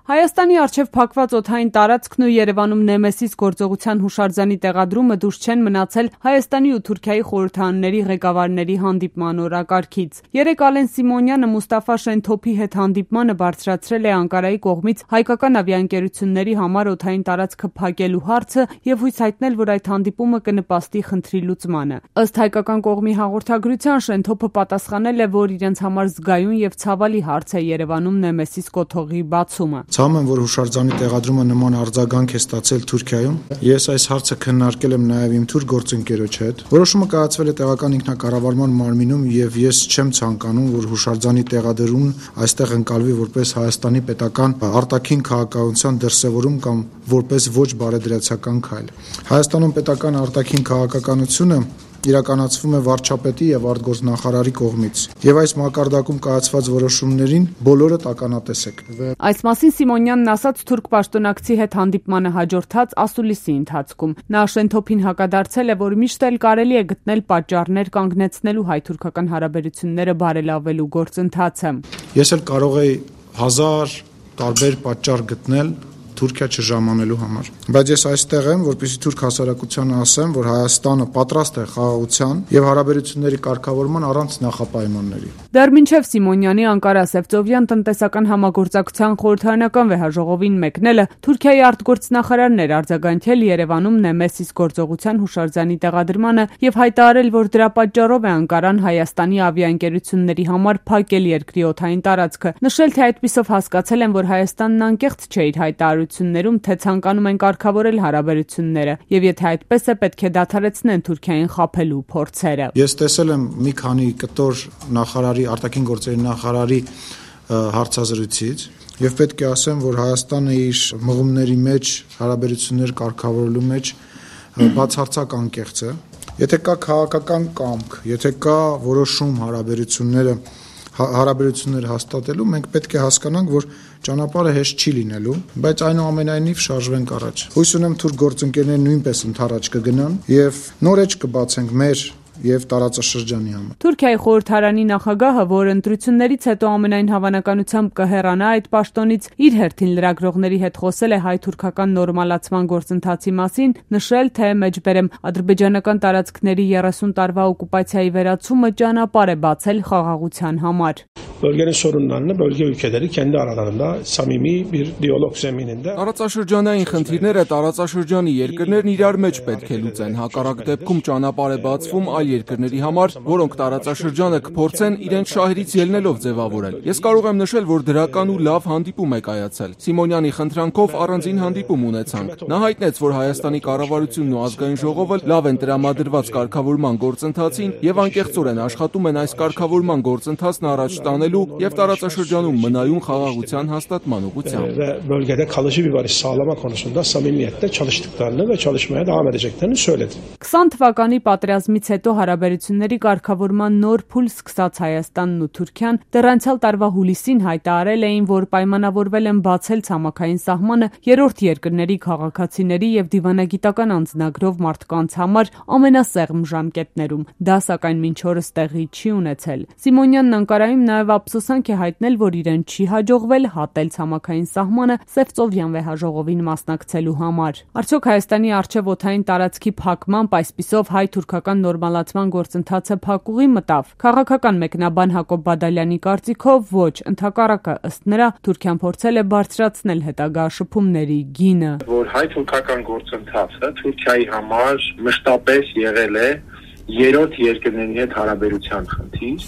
Հայաստանի առջև փակված օդային տարածքն ու Երևանում Նեմեսիս գործողության հուշարձանի տեղադրումը դուրս չեն մնացել Հայաստանի ու Թուրքիայի խորհրդարանների ղեկավարների հանդիպման օրակարգից։ Երեկ Ալեն Սիմոնյանը Մուստաֆա Շենթոփի հետ հանդիպմանը բարձրացրել է Անկարայի կողմից հայկական ավիաընկերությունների համար օդային տարածքը փակելու հարցը եւ հույս հայտնել, որ այդ հանդիպումը կնպաստի խնդրի լուծմանը։ Ըստ հայկական կողմի հաղորդագրության Շենթոփը պատասխանել է, որ իրենց համար զգայուն եւ ցավալի հարց է Երևանում Նեմեսիս կոթողի բացումը։ Ցավում եմ, որ հուշարձանի տեղադրումը նման արձագանք է ստացել Թուրքիայում։ Ես այս հարցը քննարկել եմ նաև իմ թուրք գործընկերոջ հետ։ Որոշումը կայացվել է տեղական ինքնակառավարման մարմինում եւ ես չեմ ցանկանում, որ հուշարձանի տեղադրումն այստեղ ընկալվի որպես Հայաստանի պետական արտաքին քաղաքականության դրսևորում կամ որպես ոչ բարեդրացական քայլ։ Հայաստանում պետական արտաքին քաղաքականությունը իրականացվում է վարչապետի եւ արտգործնախարարի կողմից եւ այս մակարդակում կայացված որոշումներին բոլորը տականատես եք։ Այս մասին Սիմոնյանն ասաց թուրք պաշտոնակցի հետ հանդիպմանը հաջորդած ասուլիսի ընթացքում։ Նա Շենթոփին հակադարձել է, որ միշտ էլ կարելի է գտնել պատճառներ կանգնեցնելու հայ-թուրքական հարաբերությունները բարելավելու գործընթացը։ Ես էլ կարող եի 1000 տարբեր պատճառ գտնել Թուրքիա չժամանելու համար, բայց ես այստեղ եմ, որպեսզի թուրք հասարակությանը ասեմ, որ Հայաստանը պատրաստ է խաղաղության եւ հարաբերությունների կարգավորման առանց նախապայմանների։ Դեռ մինչև Սիմոնյանի Անկարա-Սևծովյան տնտեսական համագործակցության խորհրդարանական վեհաժողովին մեկնելը Թուրքիայի արտգործնախարարն էր արձագանքել Երևանում Նեմեսիս գործողության հուշարձանի տեղադրմանը եւ հայտարարել, որ դրա պատճառով է Անկարան Հայաստանի ավիաընկերությունների համար փակել երկրի օդային տարածքը։ Նշել, թե այդպիսով հասկացել են, որ Հայաստանն անկեղծ չէ իր հայտարարություններում, թե ցանկանում են կարգավորել հարաբերությունները եւ եթե այդպես է, պետք է դադարեցնեն Թուրքիային խաբելու փորձերը։ Ես տեսել եմ մի քանի կտոր նախարարի, արտաքին գործերի նախարարի հարցազրույցից եւ պետք է ասեմ, որ Հայաստանը իր մղումների մեջ, հարաբերություններ կարգավորելու մեջ բացարձակ անկեղծ է։ Եթե կա քաղաքական կամք, եթե կա որոշում հարաբերություններ հաստատելու, մենք պետք է հասկանանք, որ ճանապարհը հեշտ չի լինելու, բայց այնուամենայնիվ շարժվենք առաջ։ Հույս ունեմ թուրք գործընկերները նույնպես ընդառաջ կգնան եւ նոր էջ կբացենք մեր եւ տարածաշրջանի համար։ Թուրքիայի խորհրդարանի նախագահը, որ ընտրություններից հետո ամենայն հավանականությամբ կհեռանա այդ պաշտոնից, իր հերթին լրագրողների հետ խոսել է հայ-թուրքական նորմալացման գործընթացի մասին, նշել, թե մեջբերեմ ադրբեջանական տարածքների 30 տարվա օկուպացիայի վերացումը ճանապարհ է բացել խաղաղության համար։ Bölgenin sorunlarını bölge ülkeleri kendi aralarında samimi bir diyalog zemininde. Տարածաշրջանային խնդիրները տարածաշրջանի երկրներն իրար մեջ պետք է լուծեն, հակառակ դեպքում ճանապարհ է բացվում այլ երկրների համար, որոնք տարածաշրջանը կփորձեն իրենց շահերից ելնելով ձևավորել։ Ես կարող եմ նշել, որ դրական ու լավ հանդիպում է կայացել։ Սիմոնյանի խնդրանքով առանձին հանդիպում ունեցանք։ Նա հայտնեց, որ Հայաստանի կառավարությունն ու ազգային ժողովը լավ են տրամադրված կարգավորման գործընթացին եւ անկեղծորեն աշխատում են այս կարգավորման գործընթացն առաջ տանել եւ տարածաշրջանում մնայուն խաղաղության հաստատման ուղղությամբ։ Bölgede kalıcı bir barış sağlama konusunda samimiyetle çalıştıklarını ve çalışmaya devam edeceklerini söyledi. 20 թվականի պատերազմից հետո հարաբերությունների կարգավորման նոր փուլ սկսած Հայաստանն ու Թուրքիան դեռ անցյալ տարվա հուլիսին հայտարարել էին, որ պայմանավորվել են բացել ցամաքային սահմանը երրորդ երկրների քաղաքացիների եւ դիվանագիտական անձնագրով մարդկանց համար ամենասեղմ ժամկետներում։ Դա սակայն մինչ օրս տեղի չի ունեցել։ Սիմոնյանն Անկարայում նաեւ ափսոսանք է հայտնել, որ իրեն չի հաջողվել հատել ցամաքային սահմանը Սևծովյան վեհաժողովին մասնակցելու համար։ Արդյոք Հայաստանի առջև օդային տարածքի փակմամբ այսպիսով հայ-թուրքական նորմալացման գործընթացը փակուղի մտավ։ Քաղաքական մեկնաբան Հակոբ Բադալյանի կարծիքով ոչ, ընդհակառակը, ըստ նրա, Թուրքիան փորձել է բարձրացնել հետագա շփումների գինը։ Որ հայ-թուրքական գործընթացը Թուրքիայի համար մշտապես եղել է երրորդ երկրների հետ հարաբերության խնդիր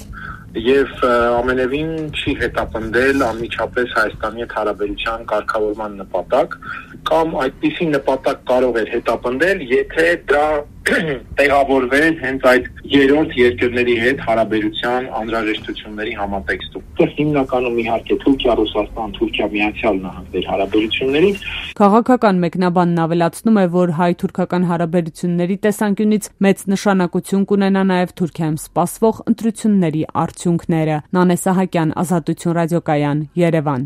եւ ամենևին չի հետապնդել անմիջապես Հայաստանի հետ հարաբերության կարգավորման նպատակ կամ այդպիսի նպատակ կարող էր հետապնդել, եթե դա տեղավորվեր հենց այդ երրորդ երկրների հետ հարաբերության անհրաժեշտությունների համատեքստում։ Դա հիմնականում իհարկե Թուրքիա-Ռուսաստան, Թուրքիա-Միացյալ Նահանգներ հարաբերություններից։ Քաղաքական մեկնաբանն ավելացնում է, որ հայ-թուրքական հարաբերությունների տեսանկյունից մեծ նշանակություն կունենա նաև Թուրքիայում սպասվող ընտրությունների արդյունքները։ Նանե Սահակյան, Ազատություն ռադիոկայան, Երևան։